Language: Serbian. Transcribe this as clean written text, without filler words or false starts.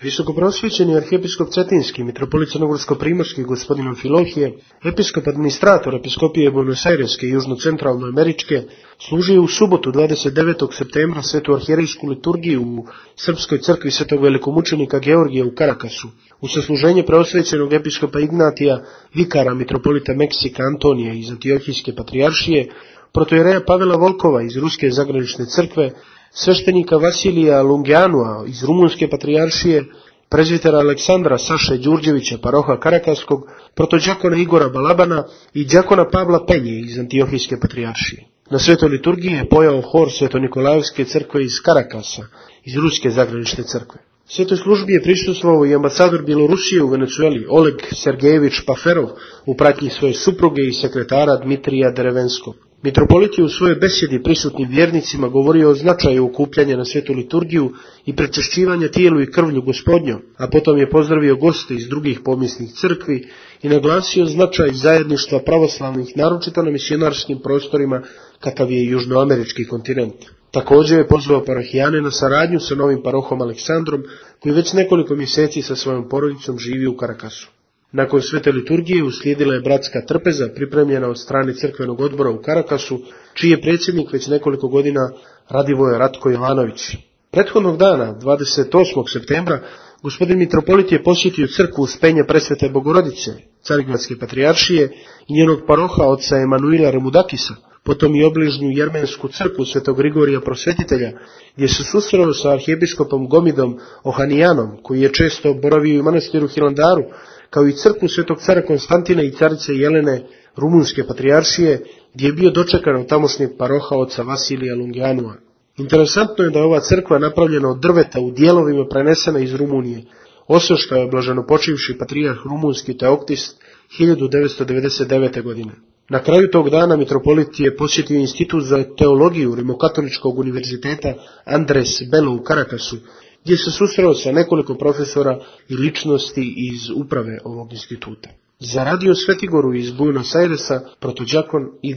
Visokoprosvećeni arhijepiskop Cetinski, mitropolit Crnogorsko-primorski gospodin Amfilohije, episkop administrator episkopije Buenos Aireske i južno-centralnoameričke, služio u subotu 29. septembra svetu arhijerejsku liturgiju u Srpskoj crkvi svetog velikomučenika Georgija u Karakasu, u sasluženje preosvećenog episkopa Ignatija, vikara mitropolita Meksika Antonija iz Antiohijske patrijaršije, protojereja Pavela Volkova iz Ruske zagranične crkve, sveštenika Vasilija Lungianua iz Rumunske patrijaršije, prezvitera Aleksandra Saše Đurđevića, paroha Karakaskog, protođakona Igora Balabana i đakona Pavla Penje iz Antiohijske patrijaršije. Na svetoj liturgiji je pojao hor Sveto-Nikolajevske crkve iz Karakasa, iz Ruske zagranične crkve. Svetoj službi je prisustvovao i ambasador Bjelorusije u Venecueli Oleg Sergejević Paferov u pratnji svoje supruge i sekretara Dmitrija Derevenskog. Mitropolit je u svojoj besjedi prisutnim vjernicima govorio o značaju okupljanja na svetu liturgiju i prečešćivanja tijelu i krvlju Gospodnjom, a potom je pozdravio goste iz drugih pomisnih crkvi i naglasio značaj zajedništva pravoslavnih, naročito na misionarskim prostorima kakav je južnoamerički kontinent. Također je pozvao parohijane na saradnju sa novim parohom Aleksandrom, koji već nekoliko mjeseci sa svojom porodicom živi u Karakasu. Nakon svete liturgije uslijedila je bratska trpeza pripremljena od strane crkvenog odbora u Karakasu, čiji je predsjednik već nekoliko godina Radivoje Ratko Jovanović. Prethodnog dana, 28. septembra, gospodin mitropolit je posjetio crkvu Uspenja Presvete Bogorodice, Carigradske patrijaršije i njenog paroha oca Emanuila Remudakisa, potom i obližnju jermensku crkvu Svetog Grigorija Prosvetitelja, gdje se susreo sa arhijepiskopom Gomidom Ohanijanom, koji je često boravio u manastiru Hilandaru, kao i crkvu Svetog cara Konstantina i carice Jelene Rumunske patrijaršije, gdje je bio dočekan od tamošnjeg paroha oca Vasilija Lungianua. Interesantno je da je ova crkva napravljena od drveta u dijelovima prenesena iz Rumunije. Osveštao je blaženopočivši patrijarh rumunski Teoktist 1999. godine. Na kraju tog dana mitropolit je posjetio institut za teologiju Rimokatoličkog univerziteta Andres Bello u Karakasu, gdje se susreo sa nekoliko profesora i ličnosti iz uprave ovog instituta. Za radio Svetigoru iz Buenos Airesa, protođakon Igor